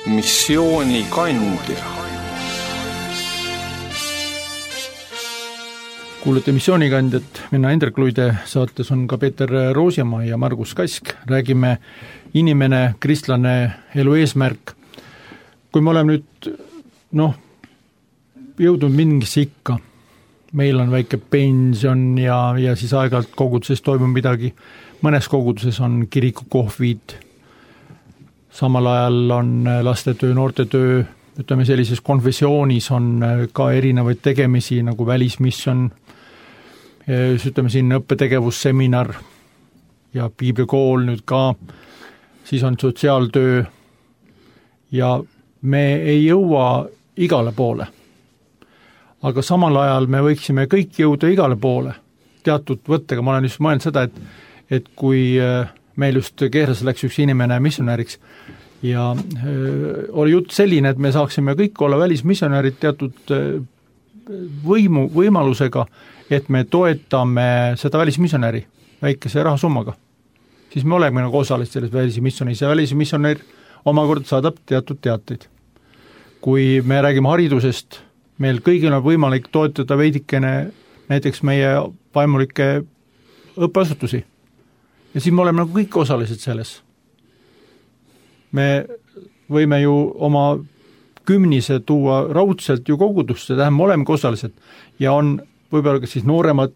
missioonikandja. Kuulete missioonikandjat, mina Indrek Luide, saates on ka Peeter Roosimaa ja Margus Kask. Räägime inimene, kristlane, elu eesmärk. Kui me oleme nüüd, jõudnud mingisse ikka, meil on väike pension ja siis aeg-ajalt koguduses toimub midagi, mõnes koguduses on kirikukohvid, samal ajal on lastetöö, noortetöö, ütleme sellises konfessioonis on ka erinevaid tegemisi nagu välismission, ütleme siin õppetegevusseminar ja piiblikool nüüd ka, siis on sotsiaaltöö ja me ei jõua igale poole. Aga samal ajal me võiksime kõik jõuda igale poole teatud võttega. Ma olen just mõelnud seda, et kui meil just Keeras läks üks inimene missionäriks ja oli jutt selline, et me saaksime kõik olla välismissionärid teatud võimalusega, et me toetame seda välismissionäri väikese rahasummaga. Siis me oleme nagu osalised selles välismissionis ja välismissionär omakorda saadab teatud teateid. Kui me räägime haridusest, meil kõigil on võimalik toetada veidikene näiteks meie vaimulikke õppeasutusi. Ja siis me oleme nagu kõik osalised selles. Me võime ju oma kümnise tuua raudselt ju kogudusse, tähendab, me oleme osalised ja on võib-olla ka siis nooremad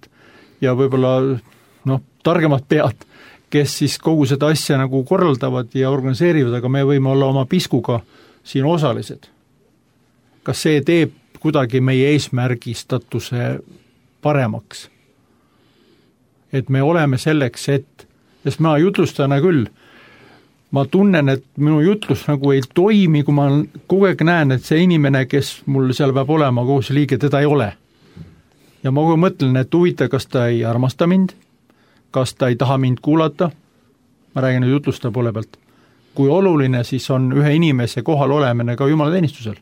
ja võib-olla targemad pead, kes siis kogu seda asja nagu korraldavad ja organiseerivad, aga me võime olla oma piskuga siin osalised. Kas see teeb kuidagi meie eesmärgistatuse paremaks? Et me oleme selleks, sest ma jutlustana küll, ma tunnen, et minu jutlus nagu ei toimi, kui ma kogu aeg näen, et see inimene, kes mul seal peab olema, koos liige, teda ei ole. Ja ma kogu mõtlen, et huvita, kas ta ei armasta mind, kas ta ei taha mind kuulata, ma räägin nüüd jutlusta poole pealt, kui oluline siis on ühe inimese kohal olemine ka Jumala teenistusel.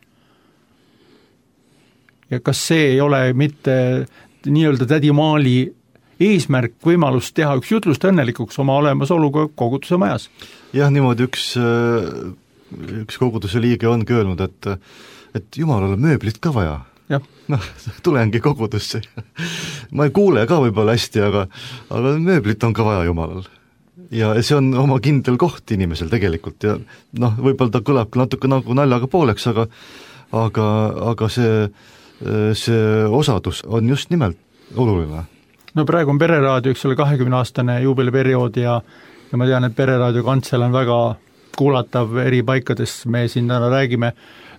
Ja kas see ei ole mitte nii-öelda tädi Maali eesmärk võimalus teha üks jutlust õnnelikuks oma olemasoluga koguduse majas? Jah, niimoodi üks koguduse liige ongi öelnud, et Jumalale mööblit ka vaja. Tulengi kogudusse. Ma ei kuule ka võib-olla hästi, aga mööblit on ka vaja Jumalal. Ja see on oma kindel koht inimesel tegelikult ja võib-olla ta kõlab natuke nagu naljaga pooleks, aga see osadus on just nimelt oluline. Praegu on Pereraadio, eks ole, 20-aastane juubeliperiood ja ma tean, et Pereraadio kantsel on väga kuulatav eri paikades, me siin täna räägime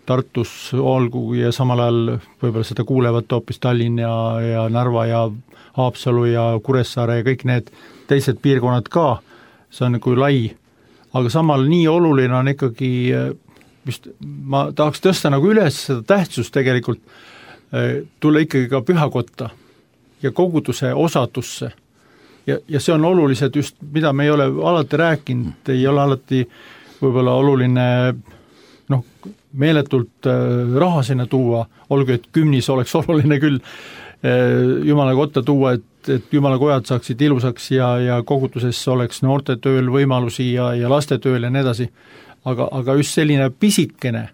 Tartus olgu ja samal ajal võib-olla seda kuulevad hoopis Tallinn ja Narva ja Haapsalu ja Kuressaare ja kõik need teised piirkonnad ka, see on nagu lai, aga samal nii oluline on ikkagi, just ma tahaks tõsta nagu üles seda tähtsust tegelikult, tulla ikkagi ka pühakotta ja koguduse osadusse. Ja see on olulised just, mida me ei ole alati rääkinud, ei ole alati võib-olla oluline meeletult raha sinna tuua, olgu, et kümnis oleks oluline küll Jumala kotta tuua, et Jumala kojad saaksid ilusaks ja koguduses oleks noortetööl võimalusi ja lastetööl ja nii edasi. Aga just selline pisikene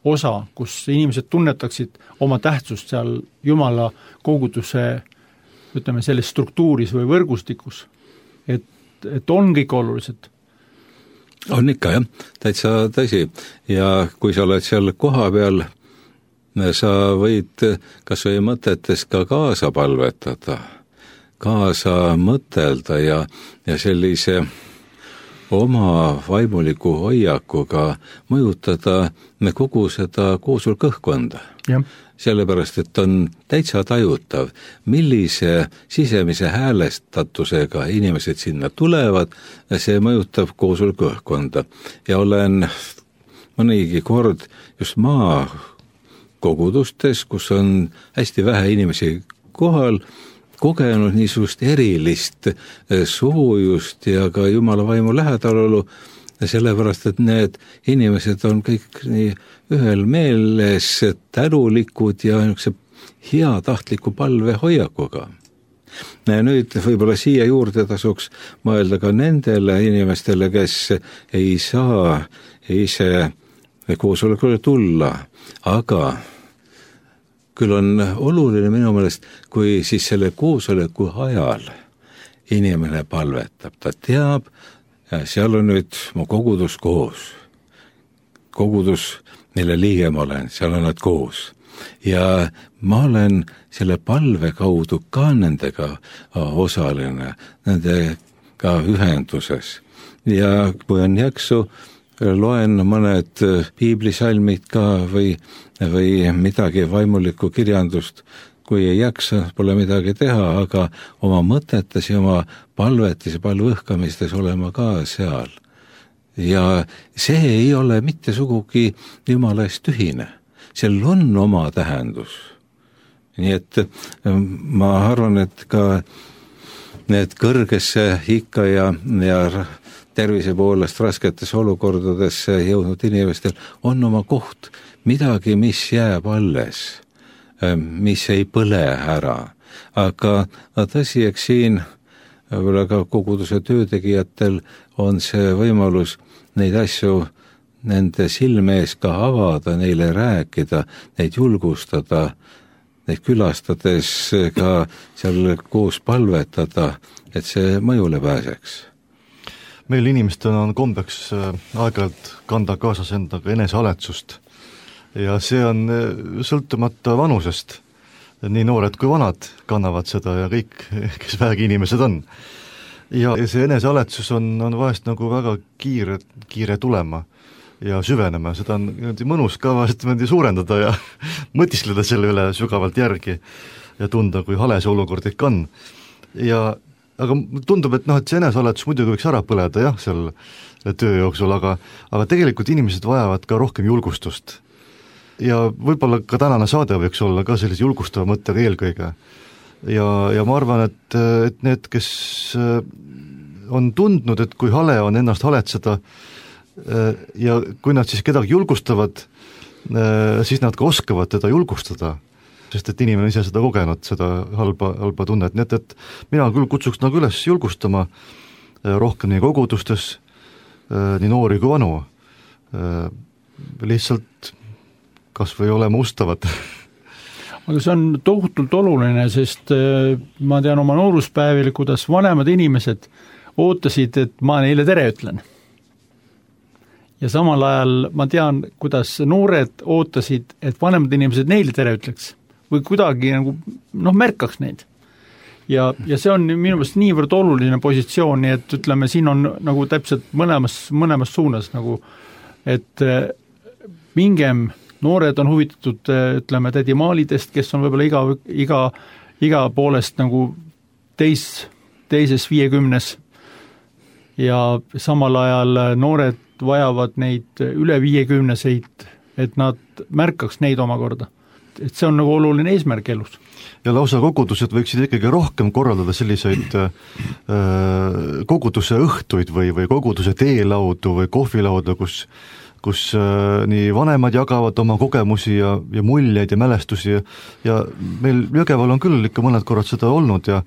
osa, kus inimesed tunnetaksid oma tähtsust seal Jumala koguduse, ütleme, selles struktuuris või võrgustikus, et on kõik olulised. On ikka, jah, täitsa tõsi. Ja kui sa oled seal koha peal, sa võid kas või mõtetes ka kaasa palvetada, kaasa mõtelda ja sellise oma vaimuliku hoiakuga mõjutada kogu seda koosolkõhkkonda. Sellepärast, et on täitsa tajutav, millise sisemise häälestatusega inimesed sinna tulevad, see mõjutab koosolkõhkkonda. Ja olen mõnigi kord just maakogudustes, kus on hästi vähe inimesi kohal, kogenud niisugust erilist soojust ja ka Jumala vaimu lähedalolu, sellepärast, et need inimesed on kõik nii ühel meeles tänulikud ja heatahtliku palve hoiakuga. Nüüd võib-olla siia juurde tasuks mõelda ka nendele inimestele, kes ei saa ise koosolekule tulla, aga küll on oluline minu meelest, kui siis selle koosoleku ajal inimene palvetab, ta teab, seal on nüüd mu kogudus koos. Kogudus, mille liige ma olen, seal on nad koos. Ja ma olen selle palve kaudu ka nendega osaline, nendega ühenduses. Ja kui on jaksu, loen mõned piiblisalmid ka või midagi vaimulikku kirjandust, kui ei jaksa, pole midagi teha, aga oma mõtetes ja oma palvetis ja palvõhkamistes olema ka seal. Ja see ei ole mitte sugugi Jumala eest tühine. Seal on oma tähendus. Nii et ma arvan, et ka need kõrgesse ikka ja tervise poolest rasketes olukordadesse jõudnud inimestel on oma koht, midagi, mis jääb alles, mis ei põle ära. Aga tõsi, eks siin võib-olla ka koguduse töötegijatel on see võimalus neid asju nende silme ees ka avada, neile rääkida, neid julgustada, neid külastades ka seal koos palvetada, et see mõjule pääseks. Meil inimestel on kombeks aeg-ajalt kanda kaasas endaga enesehaletsust ja see on sõltumata vanusest. Nii noored kui vanad kannavad seda ja kõik, kes vähegi inimesed on. Ja see enesehaletsus on vahest nagu väga kiire tulema ja süvenema, seda on mõnus ka vahest suurendada ja mõtiskleda selle üle sügavalt järgi ja tunda, kui hale see olukord ikka on. Aga tundub, et see enesehaletsus muidugi võiks ära põleda jah, seal töö jooksul, aga tegelikult inimesed vajavad ka rohkem julgustust. Ja võib-olla ka tänane saade võiks olla ka sellise julgustava mõttega eelkõige. Ja ma arvan, et need, kes on tundnud, et kui hale on ennast haletseda ja kui nad siis kedagi julgustavad, siis nad ka oskavad teda julgustada, sest et inimene ise seda kogenud, seda halba tunnet. Nii et mina küll kutsuks nagu üles julgustama rohkem nii kogudustes, nii noori kui vanu. Lihtsalt kas või olema ustavad. Aga see on tohutult oluline, sest ma tean oma nooruspäevil, kuidas vanemad inimesed ootasid, et ma neile tere ütlen. Ja samal ajal ma tean, kuidas noored ootasid, et vanemad inimesed neile tere ütleks või kuidagi nagu, märkaks neid. Ja see on minu meelest niivõrd oluline positsioon, nii et ütleme, siin on nagu täpselt mõlemas suunas, nagu, et mingem noored on huvitatud, ütleme, tädimaalidest, kes on võib-olla iga poolest nagu teises 50 ja samal ajal noored vajavad neid üle 50-seid, et nad märkaks neid omakorda. Et see on nagu oluline eesmärk elus. Ja lausa kogudused võiksid ikkagi rohkem korraldada selliseid koguduse õhtuid või koguduse teelaudu või kohvilauda, kus nii vanemad jagavad oma kogemusi ja muljeid ja mälestusi ja meil Jõgeval on küll ikka mõned korrad seda olnud ja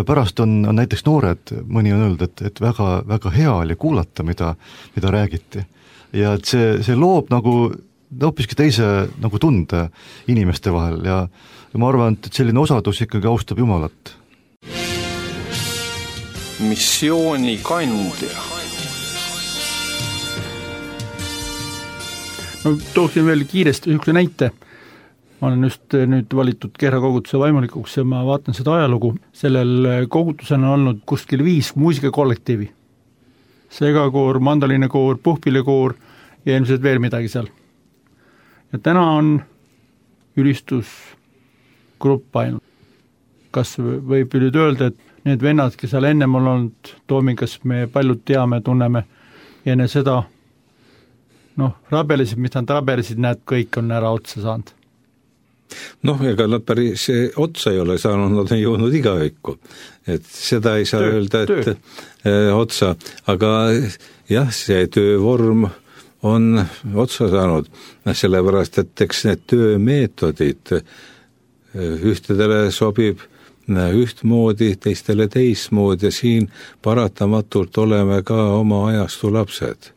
pärast on näiteks noored, mõni on öelnud, et väga, väga hea oli kuulata, mida räägiti. Ja et see loob nagu hoopiski teise nagu tunde inimeste vahel ja ma arvan, et selline osadus ikkagi austab Jumalat. Missioonikandja. Tooksin veel kiiresti ühe näite. Ma olen just nüüd valitud Kehra koguduse vaimulikuks ja ma vaatan seda ajalugu. Sellel kogudusel on olnud kuskil 5 muusikakollektiivi. Segakoor, mandalinekoor, puhpilekoor ja ilmselt veel midagi seal. Ja täna on ülistusgrupp ainult. Kas võib nüüd öelda, et need vennad, kes seal ennem on olnud Toomingas, me paljud teame, tunneme ja enne seda rabelesid, mis nad rabelesid, näed, kõik on ära otsa saanud. Ega nad päris otsa ei ole saanud, nad on jõudnud igavikku. Et seda ei saa öelda, et otsa. Aga jah, see töövorm on otsa saanud, sellepärast, et eks need töömeetodid ühtedele sobib ühtmoodi, teistele teistmoodi ja siin paratamatult oleme ka oma ajastu lapsed.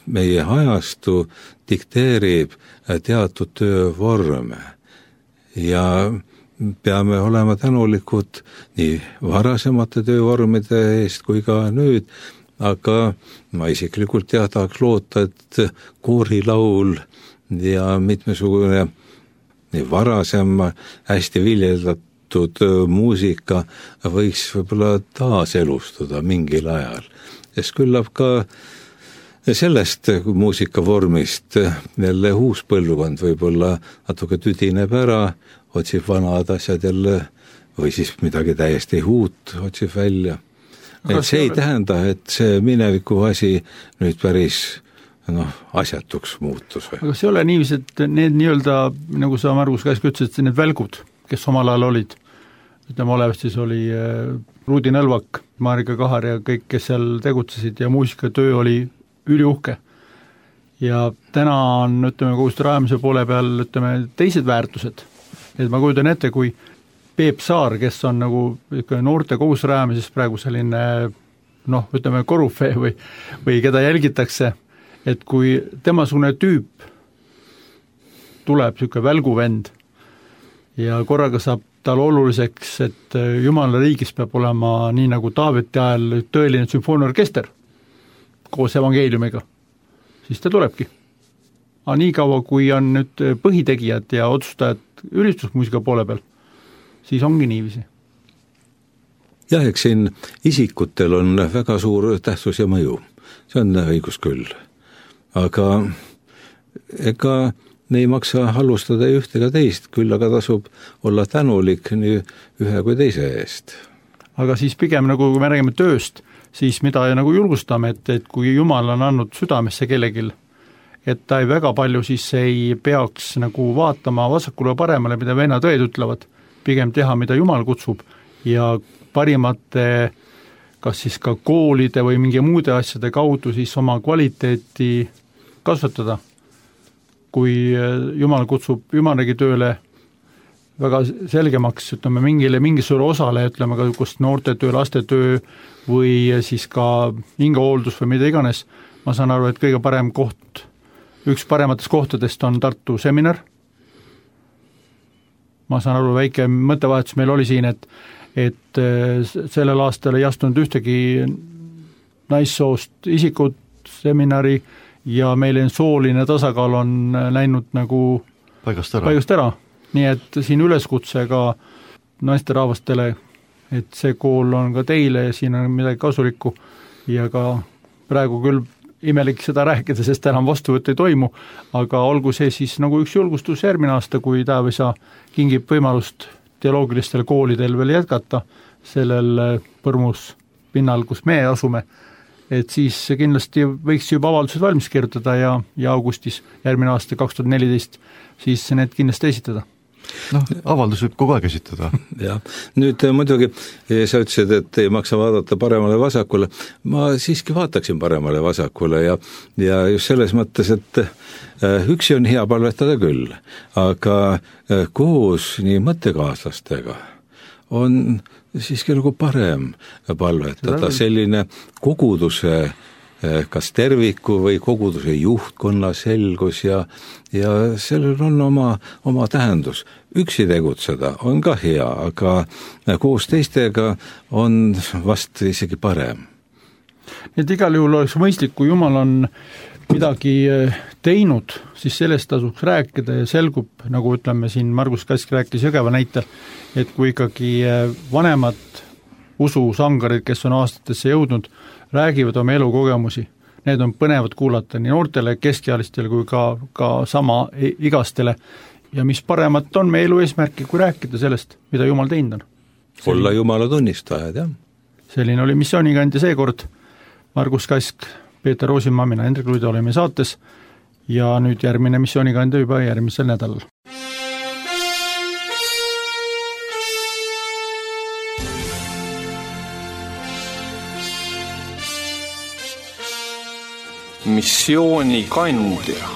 meie ajastu dikteerib teatud töövorme ja peame olema tänulikud nii varasemate töövormide eest kui ka nüüd, aga ma isiklikult tahaks loota, et koorilaul ja mitmesugune nii varasem hästi viljeldatud muusika võiks võib-olla taaselustada mingil ajal. Sest küllap ka sellest muusikavormist jälle uus põlvkond võib-olla natuke tüdineb ära, otsib vanad asjad jälle või siis midagi täiesti uut otsib välja. Et see ei tähenda, et see mineviku asi nüüd päris asjatuks muutus. Aga see ei ole niiviisi, et need nii-öelda, nagu sa Margus Kask ütlesid, need välgud, kes omal ajal olid, ütleme olevast siis oli Ruudi Nõlvak, Marika Kahar ja kõik, kes seal tegutsesid ja muusikatöö oli üliuhke. Ja täna on, ütleme, koguste rajamise poole peal, ütleme, teised väärtused. Et ma kujutan ette, kui Peep Saar, kes on nagu noorte koguse rajamises praegu selline, ütleme, korufee või keda jälgitakse, et kui temasugune tüüp tuleb niisugune välguvend ja korraga saab tal oluliseks, et Jumala riigis peab olema nii nagu Taaveti ajal tõeline sümfooniaorkester koos evangeeliumiga, siis ta tulebki. Aga nii kaua, kui on nüüd põhitegijad ja otsustajad ülistusmuusika poole peal, siis ongi niiviisi. Jah, eks siin isikutel on väga suur tähtsus ja mõju. See on õigus küll. Aga ega ei maksa halvustada ühte ega teist, küll aga tasub olla tänulik nii ühe kui teise eest. Aga siis pigem nagu, kui me räägime tööst, siis mida nagu julgustame, et kui Jumal on andnud südamesse kellegil, et ta ei väga palju siis ei peaks nagu vaatama vasakule paremale, mida vennad õed ütlevad, pigem teha, mida Jumal kutsub ja parimate, kas siis ka koolide või mingi muude asjade kaudu siis oma kvaliteeti kasvatada. Kui Jumal kutsub Jumalegi tööle väga selgemaks, ütleme, mingisugune osale, ütleme ka kus noortetöö, lastetöö või siis ka hingehooldus või mida iganes, ma saan aru, et kõige parem koht, üks parematest kohtadest on Tartu seminar. Ma saan aru, väike mõttevahetus meil oli siin, et sellel aastal ei astunud ühtegi naissoost isikut seminari ja meil sooline tasakaal on läinud nagu paigast ära. Nii et siin üleskutse ka naisterahvastele, et see kool on ka teile ja siin on midagi kasulikku ja ka praegu küll imelik seda rääkida, sest enam vastuvõtt ei toimu, aga olgu see siis nagu üks julgustus järgmine aasta, kui Taevisa kingib võimalust teoloogilistel koolidel veel jätkata sellel põrmus pinnal, kus me asume, et siis kindlasti võiks juba avaldused valmis kirjutada ja augustis järgmine aasta 2014 siis need kindlasti esitada. Avaldus võib kogu aeg esitada. Ja, nüüd muidugi sa ütlesid, et ei maksa vaadata paremale vasakule. Ma siiski vaataksin paremale vasakule ja just selles mõttes, et üksi on hea palvetada küll, aga koos nii mõttekaaslastega on siiski nagu parem palvetada, selline koguduse kas terviku või koguduse juhtkonna selgus ja sellel on oma tähendus. Üksi tegutseda on ka hea, aga koos teistega on vast isegi parem. Et igal juhul oleks mõistlik, kui Jumal on midagi teinud, siis sellest tasuks rääkida ja selgub, nagu ütleme siin Margus Kask rääkis Jõgeva näitel, et kui ikkagi vanemad ususangarid, kes on aastatesse jõudnud, räägivad oma elukogemusi. Need on põnevad kuulata nii noortele, keskealistele kui ka sama igastele. Ja mis paremat on meie elu eesmärki, kui rääkida sellest, mida Jumal teinud on. Olla Jumala tunnistajad, jah. Selline oli missioonikandja seekord. Margus Kask, Peeter Roosimaa, mina Hendrik Luide olime saates ja nüüd järgmine missioonikandja juba järgmisel nädalal. Missioonikandja.